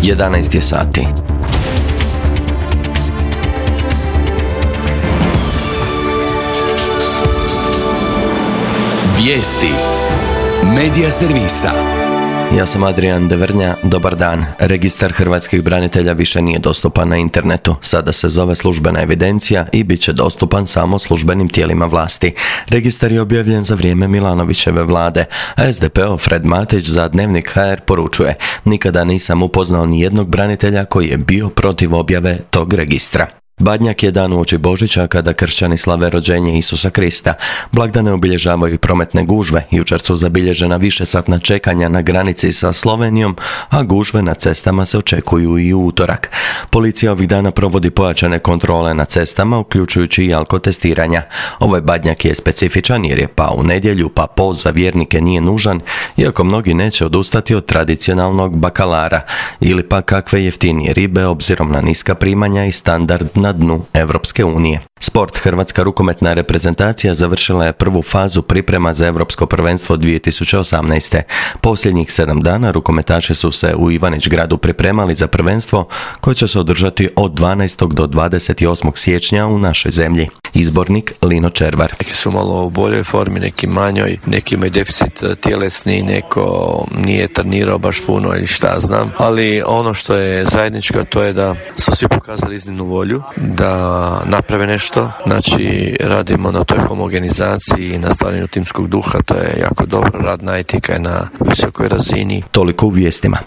11 je sati. Vijesti Medija servisa. Ja sam Adrian Devrnja, dobar dan. Registar hrvatskih branitelja više nije dostupan na internetu. Sada se zove službena evidencija i bit će dostupan samo službenim tijelima vlasti. Registar je objavljen za vrijeme Milanovićeve vlade, a SDP-ov Fred Matić za Dnevnik HR poručuje: nikada nisam upoznao ni jednog branitelja koji je bio protiv objave tog registra. Badnjak je dan uoči Božića kada kršćani slave rođenje Isusa Krista. Blagdane obilježavaju i prometne gužve. Jučer su zabilježena višesatna čekanja na granici sa Slovenijom, a gužve na cestama se očekuju i u utorak. Policija ovih dana provodi pojačane kontrole na cestama, uključujući i alkotestiranja. Ovaj Badnjak je specifičan jer je pao u nedjelju, pa post za vjernike nije nužan, iako mnogi neće odustati od tradicionalnog bakalara ili pa kakve jeftinije ribe obzirom na niska primanja i standard na dnu Europske unije. Sport. Hrvatska rukometna reprezentacija završila je prvu fazu priprema za Europsko prvenstvo 2018. Posljednjih 7 dana rukometaši su se u Ivanić-Gradu pripremali za prvenstvo koje će se održati od 12. do 28. siječnja u našoj zemlji. Izbornik Lino Červar. Neki su malo u boljoj formi, neki manjoj, neki imaju deficit tjelesni, neko nije trenirao baš puno ili šta znam. Ali ono što je zajedničko, to je da su svi pokazali iznimnu volju da naprave nešto. Znači, radimo na toj homogenizaciji i na stvaranju timskog duha, to je jako dobro, radna etika je na visokoj razini. Toliko u vijestima.